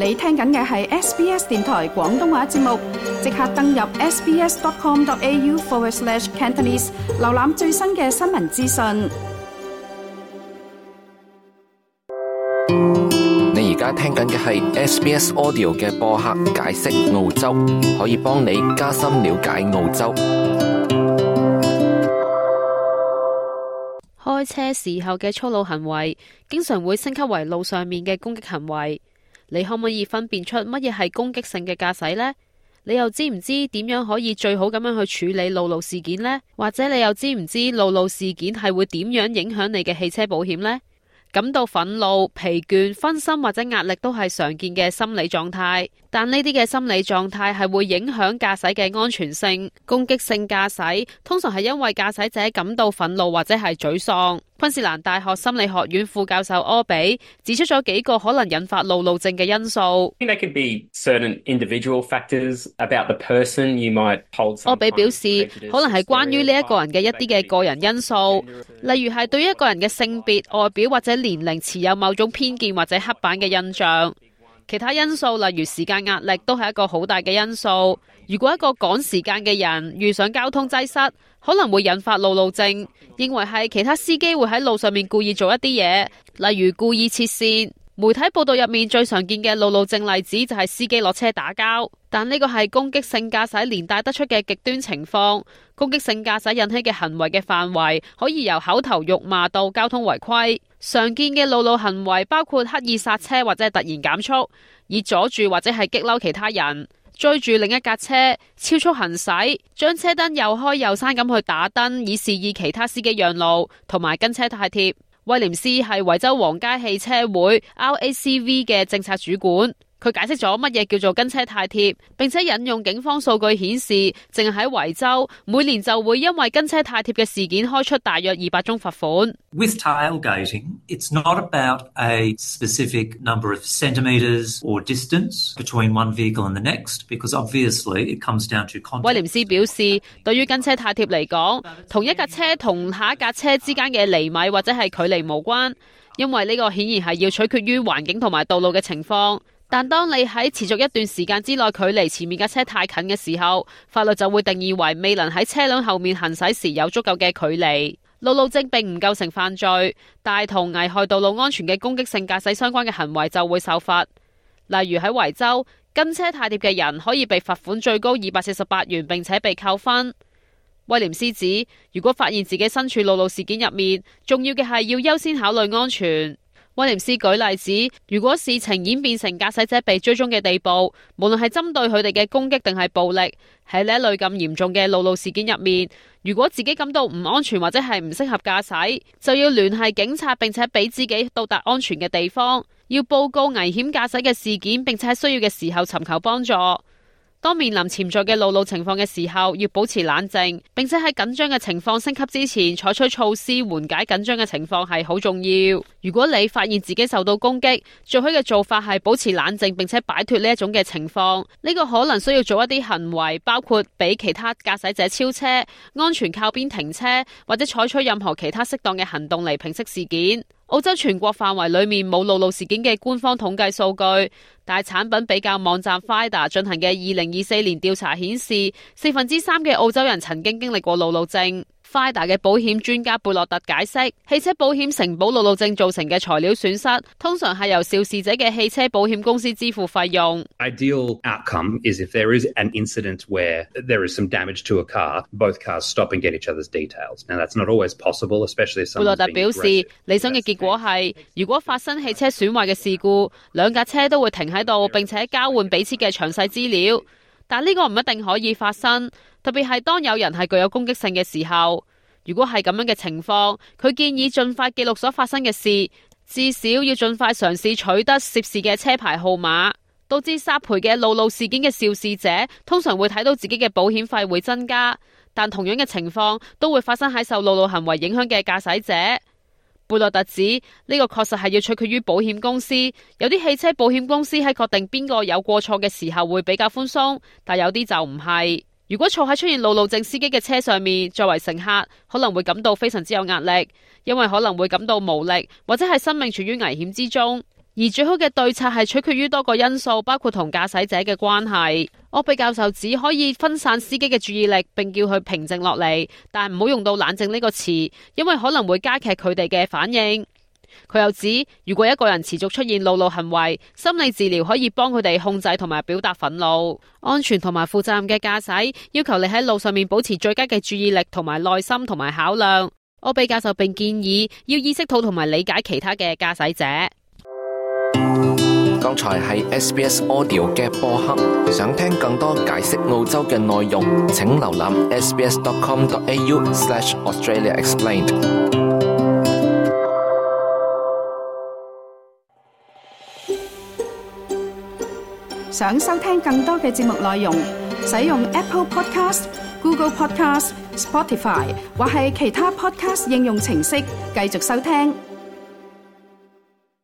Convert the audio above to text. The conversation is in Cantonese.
你聽緊嘅係 SBS 電台廣東話節目，即刻登入 sbs.com.au/Cantonese 瀏覽最新嘅新聞資訊。你而家聽緊嘅係 SBS Audio 嘅播客解釋澳洲，可以幫你加深了解澳洲。開車時候嘅粗魯行為，經常會升級為路上面嘅攻擊行為。你可唔可以分辨出乜嘢係攻擊性嘅駕駛呢？你又知唔知點樣可以最好咁樣去處理路怒事件呢？或者你又知唔知路怒事件係會點樣影響你嘅汽車保險呢？感到憤怒、疲倦、分心或者壓力都係常見嘅心理狀態，但呢啲嘅心理狀態係會影響駕駛嘅安全性。攻擊性駕駛通常係因為駕駛者感到憤怒或者係沮喪。昆士蘭大學心理學院副教授柯比指出咗幾個可能引發路怒症嘅因素。柯比表示，可能係關於呢一個人嘅一啲嘅個人因素，例如係對於一個人嘅性別、外表或者年齡持有某種偏見或者刻板嘅印象。其他因素例如時間壓力都係一個好大嘅因素。如果一個趕時間嘅人遇上交通擠塞，可能會引發路怒症，認為係其他司機會喺路上面故意做一啲嘢，例如故意切線。媒體報道入面最常見嘅路怒症例子就係司機落車打交，但呢個係攻擊性駕駛連帶得出嘅極端情況。攻擊性駕駛引起嘅行為嘅範圍可以由口頭辱罵到交通違規。常見嘅路怒行為包括刻意剎車或者係突然減速，以阻住或者係激嬲其他人，追住另一架車，超速行駛，將車燈又開又閂咁去打燈，以示意其他司機讓路，同埋跟車太貼。威廉斯係維州皇家汽車會 RACV 嘅政策主管，佢解釋咗乜嘢叫做跟車太貼，並且引用警方數據顯示，淨係喺維州每年就會因為跟車太貼嘅事件開出大約200宗罰款。With tailgating, it's not about a specific number of centimetres or distance between one vehicle and the next, because obviously it comes down to context. 威廉斯表示，對於跟車太貼嚟講，同一架車同下一架車之間嘅厘米或者係距離無關，因為呢個顯然係要取決於環境同埋道路嘅情況。但當你喺持續一段時間之內距離前面架車太近嘅時候，法律就會定義為未能喺車輛後面行駛時有足夠嘅距離。路怒症並唔構成犯罪，但同危害道路安全嘅攻擊性駕駛相關嘅行為就會受罰。例如喺維州，跟車太貼嘅人可以被罰款最高248元，並且被扣分。威廉斯指，如果發現自己身處路怒事件入面，重要嘅係要優先考慮安全。威廉斯舉例子，如果事情演變成駕駛者被追蹤嘅地步，無論係針對佢哋嘅攻擊定係暴力，喺呢一類咁嚴重嘅路怒事件入面，如果自己感到唔安全或者係唔適合駕駛，就要聯繫警察，並且俾自己到達安全嘅地方，要報告危險駕駛嘅事件，並且喺需要嘅時候尋求幫助。當面臨潛在嘅路怒情況嘅時候，要保持冷靜，並且喺緊張嘅情況升級之前採取措施緩解緊張嘅情況係好重要。如果你發現自己受到攻擊，最好嘅做法係保持冷靜，並且擺脫呢一種嘅情況。呢個可能需要做一啲行為，包括俾其他駕駛者超車、安全靠邊停車，或者採取任何其他適當嘅行動嚟平息事件。澳洲全國範圍裏面冇路怒事件嘅官方統計數據，但係產品比較網站 FIDA 進行嘅2024年調查顯示，3%嘅澳洲人曾經經歷過路怒症。FIDA 嘅保險專家貝洛特解釋，汽車保險承保路怒症造成嘅材料損失，通常係由肇事者嘅汽車保險公司支付費用。Ideal outcome is if there is an incident where there is some damage to a car, both cars stop and get each other's details. Now that's not always possible, especially if someone's being aggressive. 貝洛特表示，理想嘅結果係，如果發生汽車損壞嘅事故，兩架車都會停喺度，並且交換彼此嘅詳細資料。但呢個唔一定可以發生，特別係當有人係具有攻擊性嘅時候。如果係咁樣嘅情況，佢建議盡快記錄所發生嘅事，至少要盡快嘗試取得涉事嘅車牌號碼。導致索賠嘅路怒事件嘅肇事者通常會睇到自己嘅保險費會增加，但同樣嘅情況都會發生喺受路怒行為影響嘅駕駛者。貝洛特指呢個確實係要取決於保險公司，有啲汽車保險公司喺確定邊個有過錯嘅時候會比較寬鬆，但有啲就唔係。如果坐喺出現路怒症司機嘅車上面，作為乘客可能會感到非常之有壓力，因為可能會感到無力或者係生命處於危險之中。而最好嘅對策係取決於多個因素，包括同駕駛者嘅關係。柯比教授只可以分散司機嘅注意力，並叫佢平靜落嚟，但唔好用到冷靜呢個詞，因為可能會加劇佢哋嘅反應。佢又指，如果一個人持續出現惱怒行為，心理治療可以幫佢哋控制同埋表達憤怒。安全同埋負責任嘅駕駛要求你喺路上面保持最佳嘅注意力同埋耐心同埋考量。柯比教授並建議要意識到同埋理解其他嘅駕駛者。剛才係 SBS Audio 嘅播客，想聽更多解釋澳洲嘅內容，請瀏覽 sbs.com.au/AustraliaExplained。想收聽更多嘅節目內容，使用 Apple Podcast、Google Podcast、Spotify 或係其他 Podcast 應用程式繼續收聽。